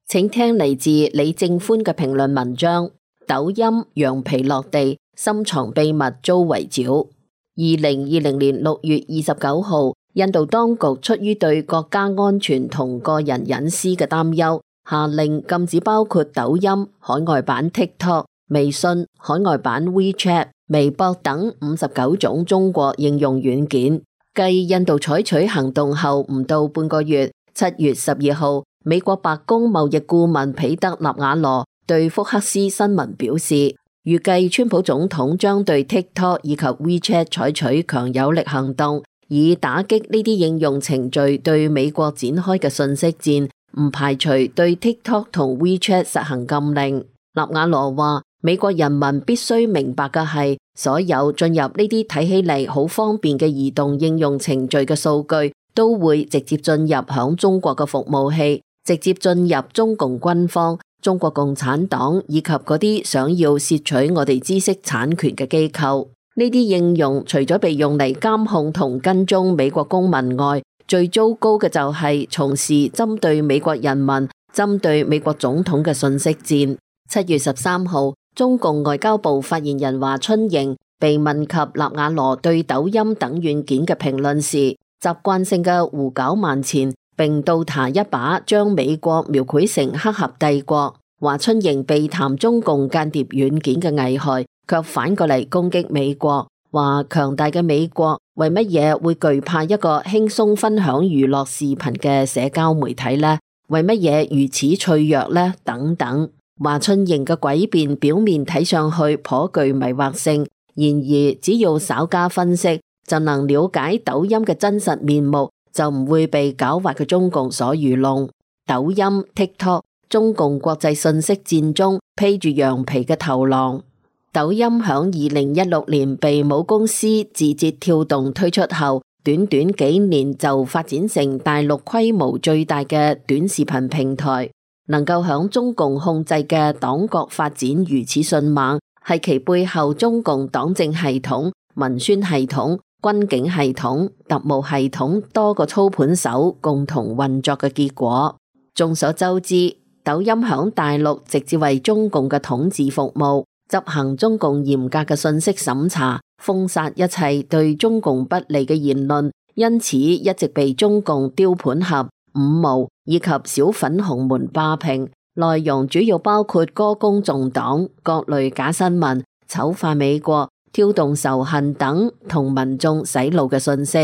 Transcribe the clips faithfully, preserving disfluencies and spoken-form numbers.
請聽嚟自李正歡嘅評論文章。抖音羊皮落地，深藏秘密遭圍剿。二零二零年六月二十九號，印度當局出於對國家安全同個人隱私嘅擔憂，下令禁止包括抖音、海外版 TikTok、微信、海外版 WeChat、微博等五十九種中國應用軟件。繼印度採取行動後唔到半個月，七月十二號，美國白宮貿易顧問彼得納瓦羅對福克斯新聞表示，預計川普總統將對 TikTok 以及 WeChat 採取強有力行動，以打擊呢啲應用程序對美國展開嘅信息戰，唔排除對 TikTok 同 WeChat 實行禁令。納瓦羅話，美國人民必須明白嘅係，所有進入呢啲睇起嚟好方便嘅移動應用程序嘅數據，都會直接進入響中國嘅服務器，直接進入中共軍方、中國共產黨以及嗰啲想要竊取我哋知識產權嘅機構。呢啲應用除咗被用嚟監控同跟蹤美國公民外，最糟糕嘅就係從事針對美國人民、針對美國總統嘅信息戰。七月十三號，中共外交部發言人華春瑩被問及納瓦羅對抖音等軟件嘅評論時，習慣性嘅胡攪蠻纏，並倒查一把將美國描繪成黑客帝國。華春瑩被談中共間諜軟件嘅危害，卻反過嚟攻擊美國，話強大嘅美國為乜嘢會懼怕一個輕鬆分享娛樂視頻嘅社交媒體呢？為乜嘢如此脆弱呢？等等。華春瑩嘅詭辯表面睇上去頗具迷惑性，然而只要稍加分析，就能了解抖音嘅真實面目，就唔會被狡猾嘅中共所愚弄。抖音、TikTok， 中共國際信息戰中披住羊皮嘅頭狼。抖音響二零一六年被母公司字節跳動推出後，短短幾年就發展成大陸規模最大嘅短視頻平台。能夠響中共控制嘅黨國發展如此迅猛，係其背後中共黨政系統、文宣系統、軍警系統、特務系統多個操盤手共同運作嘅結果。眾所周知，抖音響大陸直接為中共嘅統治服務，執行中共嚴格嘅信息審查，封殺一切對中共不利嘅言論，因此一直被中共雕盤俠、五毛以及小粉紅們霸屏，內容主要包括歌功頌黨、各類假新聞、醜化美國、挑動仇恨等同民眾洗腦嘅信息。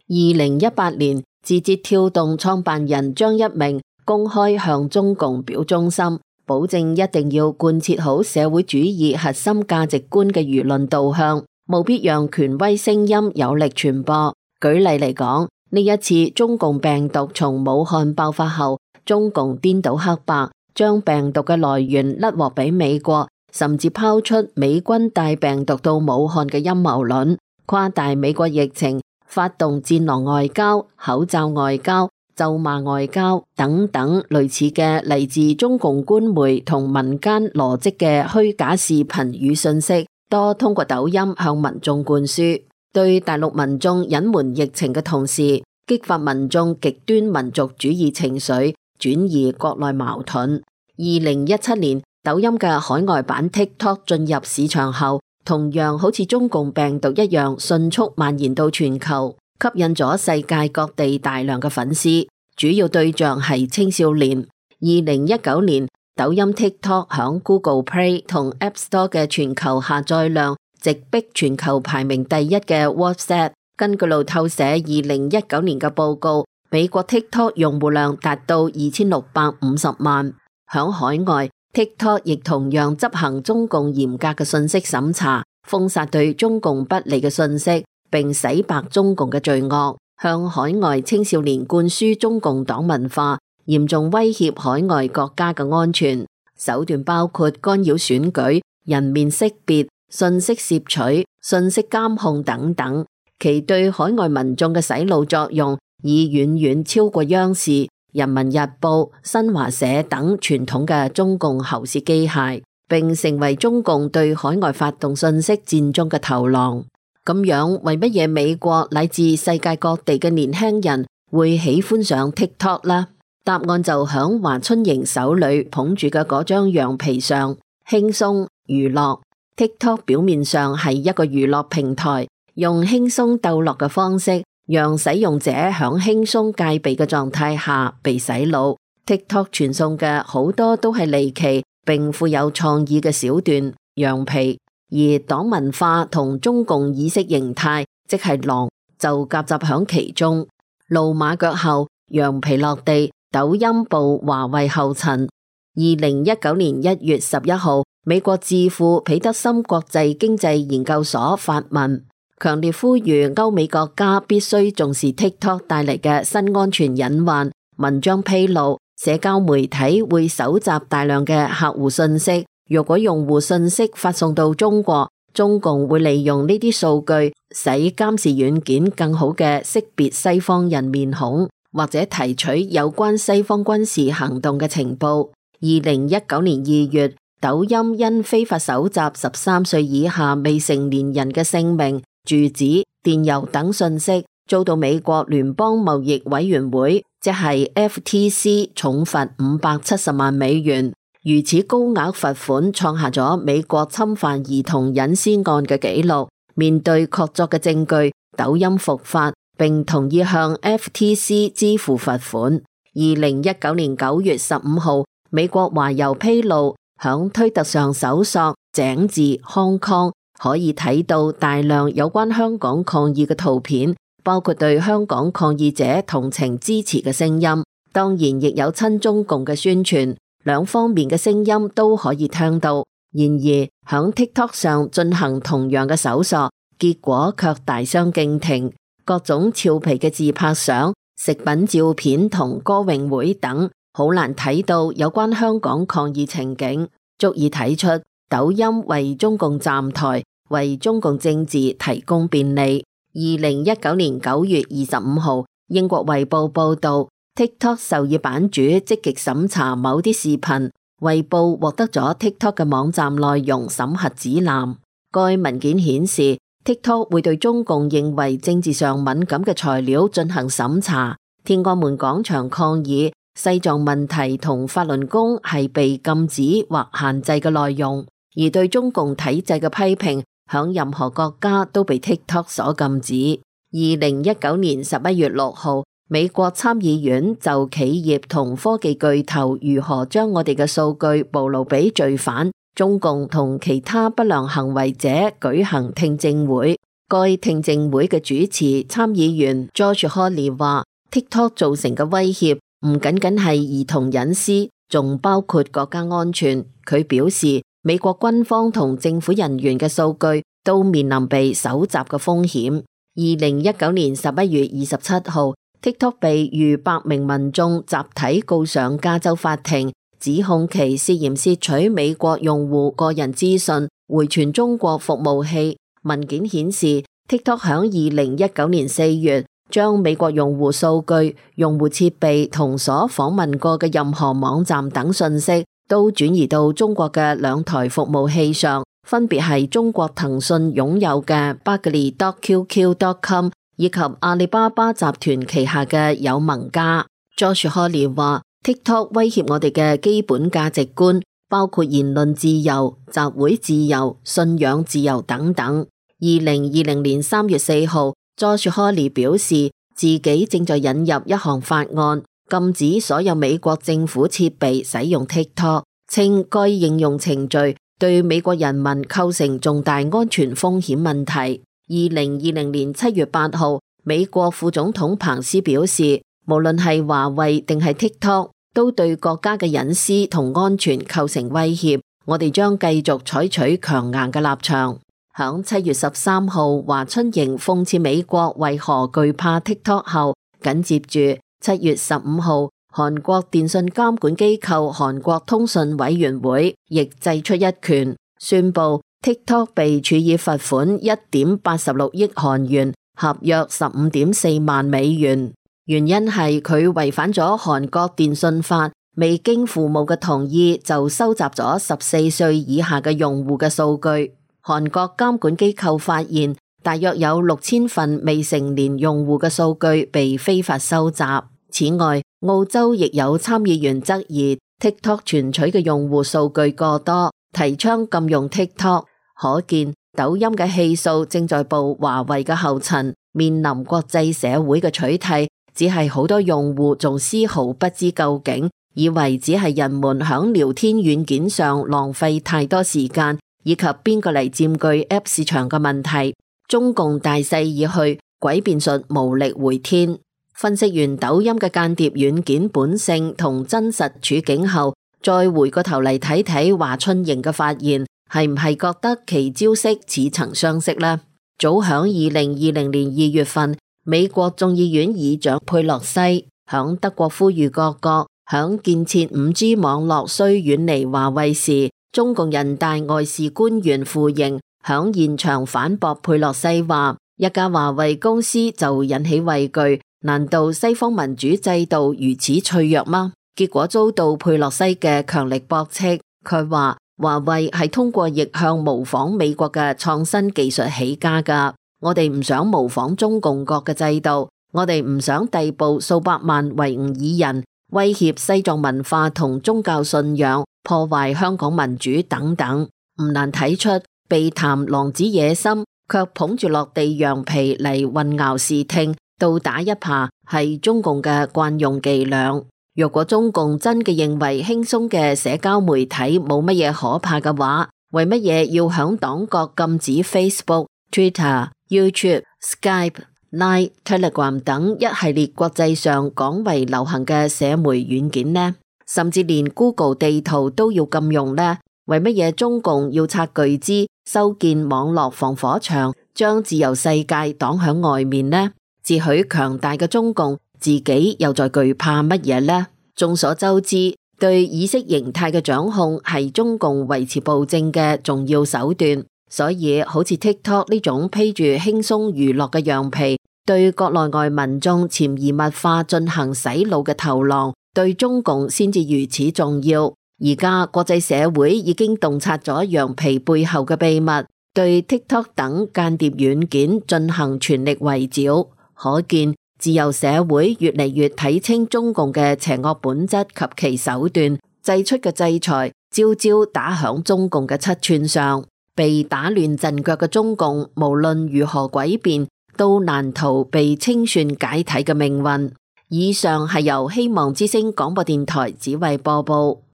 二零一八年，字節跳動創辦人張一鳴公開向中共表忠心，保證一定要貫徹好社會主義核心價值觀嘅輿論導向，務必讓權威聲音有力傳播。舉例嚟講，呢一次中共病毒從武漢爆發後，中共顛倒黑白，將病毒嘅來源甩鑊俾美國，甚至拋出美軍帶病毒到武漢嘅陰謀論，誇大美國疫情，發動戰狼外交、口罩外交、咒罵外交等等類似嘅嚟自中共官媒同民間羅織嘅虛假視頻與信息，多通過抖音向民眾灌輸。對大陸民眾隱瞞疫情嘅同時，激發民眾極端民族主義情緒，轉移國內矛盾。二零一七年，抖音嘅海外版 TikTok 進入市場後，同樣好似中共病毒一樣迅速蔓延到全球，吸引咗世界各地大量嘅粉絲，主要對象係青少年。二零一九年，抖音 TikTok 響 Google Play 同 App Store 嘅全球下載量直逼全球排名第一嘅 WhatsApp。根據路透社二零一九年嘅報告，美國 TikTok 用戶量達到二千六百五十萬。響海外， TikTok 亦同樣執行中共嚴格嘅信息審查，封殺對中共不利嘅信息，並洗白中共嘅罪惡，向海外青少年灌輸中共黨文化，嚴重威脅海外國家嘅安全。手段包括干擾選舉、人面識別、信息攝取、信息監控等等，其對海外民眾嘅洗腦作用已遠遠超過央視、人民日報、新華社等傳統嘅中共喉舌機械，並成為中共對海外發動信息戰中嘅頭狼。咁樣，為乜嘢美國乃至世界各地嘅年輕人會喜歡上 TikTok 呢？答案就響華春瑩手裏捧住嘅嗰張羊皮上，輕鬆娛樂。TikTok 表面上係一個娛樂平台，用輕鬆逗樂嘅方式，讓使用者響輕鬆戒備嘅狀態下被洗腦。TikTok 傳送嘅好多都係離奇並富有創意嘅小段、羊皮，而黨文化同中共意識形態，即係狼，就夾雜響其中。露馬腳後，羊皮落地，抖音步華為後塵。二零一九年一月十一號，美國智庫彼得森國際經濟研究所發文，強烈呼籲歐美國家必須重視 TikTok 帶嚟嘅新安全隱患。文章披露，社交媒體會搜集大量嘅客戶信息，若果用戶信息發送到中國，中共會利用呢啲數據，使監視軟件更好嘅識別西方人面孔，或者提取有關西方軍事行動嘅情報。二零一九年二月，抖音因非法搜集十三歲以下未成年人嘅姓名、住址、電郵等信息，遭到美國聯邦貿易委員會，即係 F T C 重罰五百七十萬美元。如此高額罰款，創下咗美國侵犯兒童隱私案嘅紀錄。面對確鑿嘅證據，抖音復發並同意向 F T C 支付罰款。二零一九年九月十五號，美國華郵披露，響推特上搜索井字 Hong Kong，可以睇到大量有關香港抗議嘅圖片，包括對香港抗議者同情支持嘅聲音，當然亦有親中共嘅宣傳，兩方面嘅聲音都可以聽到。然而響 TikTok 上進行同樣嘅搜索，結果卻大相徑庭，各種俏皮嘅自拍相、食品照片同歌詠會等，好難睇到有關香港抗議情景，足以睇出抖音為中共站台，為中共政治提供便利。二零一九年九月二十五號，英國衛報報道， TikTok 授意版主積極審查某啲視頻，衛報獲得咗 TikTok 嘅網站內容審核指南。該文件顯示， TikTok 會對中共認為政治上敏感嘅材料進行審查。天安門廣場抗議西藏問題同法輪功係被禁止或限制嘅內容，而對中共體制嘅批評響任何國家都被 TikTok 所禁止。二零一九年十一月六號，美國參議院就企業同科技巨頭如何將我哋嘅數據暴露俾罪犯、中共同其他不良行為者舉行聽證會。該聽證會嘅主持參議員 Josh Hawley 話， TikTok 造成嘅威脅唔僅僅係兒童隱私，仲包括國家安全。佢表示，美國軍方同政府人員嘅數據都面臨被搜集嘅風險。二零一九年十一月二十七號，TikTok 被逾百名民眾集體告上加州法庭，指控其涉嫌竊取美國用戶個人資訊，回傳中國服務器。文件顯示 ，TikTok 響二零一九年四月將美國用戶數據、用戶設備同所訪問過嘅任何網站等信息，都轉移到中國嘅兩台服務器上，分別係中國騰訊擁有嘅 Bugly dot Q Q dot com 以及阿里巴巴集團旗下嘅有盟家。Josh Hawley 話 ，TikTok 威脅我哋嘅基本價值觀，包括言論自由、集會自由、信仰自由等等。二零二零年三月四號，Josh Hawley 表示自己正在引入一項法案，禁止所有美國政府設備使用 TikTok， 稱該應用程序對美國人民構成重大安全風險問題。二零二零年七月八號，美國副總統彭斯表示，無論係華為定係 TikTok， 都對國家嘅隱私同安全構成威脅，我哋將繼續採取強硬嘅立場。響七月十三號，華春瑩諷刺美國為何懼怕 TikTok 後，緊接住七月十五號，韓國電信監管機構韓國通訊委員會亦祭出一拳，宣布 TikTok 被處以罰款一點八六億韓元，合約十五點四萬美元。原因係佢違反咗韓國電信法，未經父母嘅同意就收集咗十四歲以下嘅用戶嘅數據。韓國監管機構發現，大約有六千份未成年用戶嘅數據被非法收集。此外，澳洲亦有參議員質疑 TikTok 存取嘅用戶數據過多，提倡禁用 TikTok。可見抖音嘅氣數正在步華為嘅後塵，面臨國際社會嘅取締，只係好多用戶仲絲毫不知究竟，以為只係人們響聊天軟件上浪費太多時間，以及邊個嚟佔據 App 市場嘅問題。中共大勢已去，詭辯術無力回天。分析完抖音嘅間諜軟件本性同真實處境後，再回過頭嚟睇睇華春瑩嘅發言，係唔係覺得其招式似曾相識呢？早響二零二零年二月份，美國眾議院議長佩洛西響德國呼籲各國響建設五 G 網絡需遠離華為時，中共人大外事官員傅瑩響現場反駁佩洛西話：一家華為公司就引起畏懼，難道西方民主制度如此脆弱嗎？結果遭到佩洛西嘅強力駁斥。佢話華為係通過逆向模仿美國嘅創新技術起家㗎，我哋唔想模仿中共國嘅制度，我哋唔想逮捕數百萬維吾爾人，威脅西藏文化同宗教信仰，破壞香港民主等等。唔難睇出，被談狼子野心，卻捧住落地羊皮嚟混淆視聽，倒打一耙係中共嘅慣用伎倆。若果中共真嘅認為輕鬆嘅社交媒體冇乜嘢可怕嘅話，為乜嘢要響黨國禁止 Facebook、Twitter、YouTube、Skype、Line、Telegram 等一系列國際上廣為流行嘅社媒軟件呢？甚至連 Google 地圖都要禁用呢？為乜嘢中共要拆巨資修建網絡防火牆，將自由世界擋響外面呢？自詡強大嘅中共，自己又在懼怕乜嘢呢？眾所周知，對意識形態嘅掌控係中共維持暴政嘅重要手段，所以好似 TikTok 呢種披住輕鬆娛樂嘅羊皮，對國內外民眾潛移默化進行洗腦嘅頭狼，對中共先至如此重要。而家國際社會已經洞察咗羊皮背後嘅秘密，對 TikTok 等間諜軟件進行全力圍剿，可見自由社會越嚟越睇清中共嘅邪惡本質及其手段，祭出嘅制裁招招打響中共嘅七寸上。被打亂陣腳嘅中共，無論如何詭辯，都難逃被清算解體嘅命運。以上係由希望之聲廣播電台只為播報。